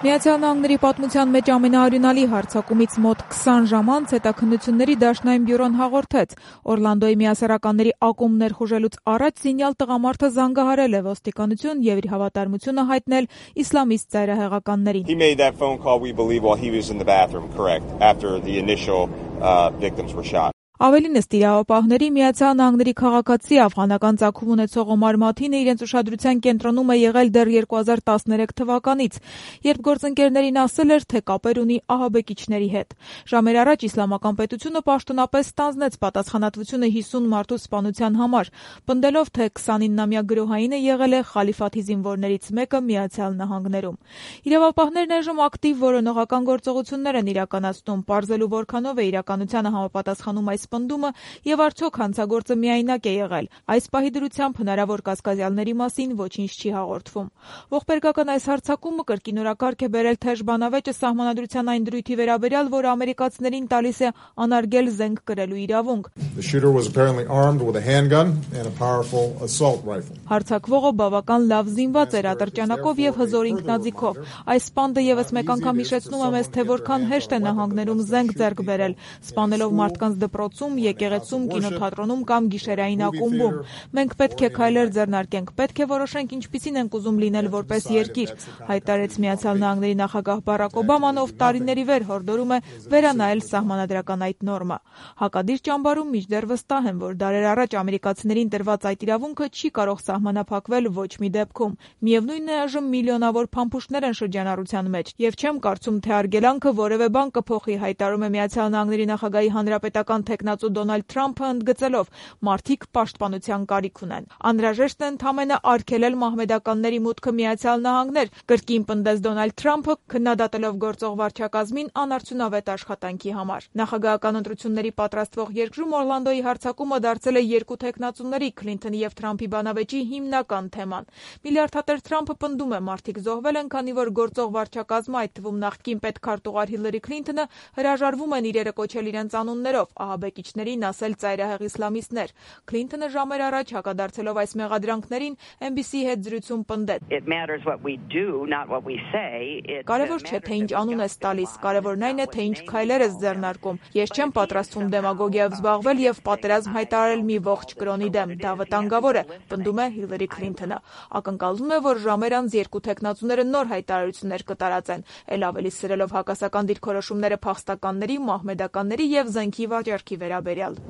Միացյալ Նահանգների պատմության մեջ ամենաարյունալի հարձակումից մոտ 20 ժամ անց հետաքննությունների դաշնային բյուրոն հաղորդեց. Օրլանդոյի միասեռականների ակումբ ներխուժելուց առաջ զինյալ տղամարդը զանգահարել է ոստիկանություն և իր հավատարմությունը հայտնել իսլամիստ ծայրահեղականներին։ He made that phone call, we believe, while he was in the bathroom, correct, after the initial victims were shot. Ավելինս տիրապահների Միացյալ Նահանգների քաղաքացի աֆղանական ծագում ունեցող Օմար Մաթինը իրենց ուշադրության կենտրոնում է եղել դեռ 2013 թվականից, երբ գործընկերներին ասել էր, թե կապեր ունի ահաբեկիչների հետ։ Ժամեր առաջ Իսլամական պետությունը պաշտոնապես ստանձնեց պատասխանատվությունը 50 մարդու սպանության համար, պնդելով, թե 29-ամյա գրոհայինը եղել է խալիֆաթի զինվորներից մեկը Միացյալ Նահանգներում։ Իրավապահներն այժմ ակտիվ որոնողական գործողություններ են իրականացնում, պարզելու որքանով է իրականությանը համապատասխանում այս պնդումը եւ արդյոք հանցագործը միայնակ է եղել։ Այս պահի դրությամբ հնարավոր կասկածյալների մասին ոչինչ չի հաղորդվում։ Ողբերգական այս հարձակումը կրկին օրակարգ է բերել թեժ բանավեճը սահմանադրության այն դրույթի վերաբերյալ, որը ամերիկացիներին տալիս է անարգել զենք կրելու իրավունք։ Հարձակվողը բավական լավ զինված էր ատրճանակով եւ հզոր ինքնաձիգով։ Այս սպանդը եւս մեկ անգամ հիշեցնում է մեզ, թե որքան հեշտ է նահանգներում զենք ձեռք բերել, սպանելով մարդկանց դպրոցում, եկեղեցում, կինոթատրոնում կամ գիշերային ակումբում։ Մենք պետք է քայլեր ձեռնարկենք, պետք է որոշենք ինչպիսին ենք ուզում լինել որպես երկիր, հայտարարեց Միացյալ Նահանգների նախագահ Բարաք Օբաման, ով տարիների վեր հորդորում է վերանայել սահմանադրական այդ նորմը։ Հակադիր ճամբարում մինչդեռ վստահ են, որ դարեր առաջ ամերիկացիներին տրված այդ իրավունքը չի կարող սահմանափակվել ոչ մի դեպքում։ Միևնույնն է, այժմ միլիոնավոր փամփուշտներ են շրջանառության մեջ, եւ չեմ կարծում, թե արգելանքը որևէ բան կփոխի, հայտարարում է Միացյալ Նահանգների նախագահի հանրապետական թեկնածու Դոնալդ Թրամփը, ընդգծելով՝ մարդիկ պաշտպանության կարիք ունեն։ Անհրաժեշտ է ընդամենը արգելել մահմեդականների մուտքը Միացյալ Նահանգներ, կրկին պնդեց Դոնալդ Թրամփը, քննադատելով գործող վարչակազմին անարդյունավետ աշխատանքի համար։ Նախագահական ընտրությունների պատրաստվող երկրում Օրլանդոյի հարձակումը դարձել է երկու թեկնածուների՝ Քլինթոնի եւ Թրամփի բանավեճի հիմնական թեման։ Միլիարդատեր Թրամփը պնդում է՝ մարդիկ զոհվել են, քանի որ գործող վարչակազմը, այդ թվում նախկին պետքարտուղար Հիլարի Քլինթոնը, հրաժարվում են իրերը կոչել իրենց անուններով, ահաբեկիչներին ասել ծայրահեղ իսլամիստներ։ Քլինթոնը ժամեր առաջ հակադարձելով այս մեղադրանքներին NBC-ի հետ զրույցում պնդեց. Կարևոր չէ, թե ինչ անուն ես տալիս, կարևորն այն է, թե ինչ քայլեր ես ձեռնարկում։ Ես չեմ պատրաստվում դեմագոգիայով զբաղվել եւ պատերազմ հայտարարել մի ողջ կրոնի դեմ։ Դա վտանգավոր է, պնդում է Հիլարի Քլինթոնը։ Ակնկալվում է, որ ժամեր անց երկու թեկնածուները նոր հայտարարություններ կտարածեն, ել ավելի սրելով հակասական դիրքորոշումները փախստականների, մահմեդականների եւ զենքի վաճառքի վերաբերյալ։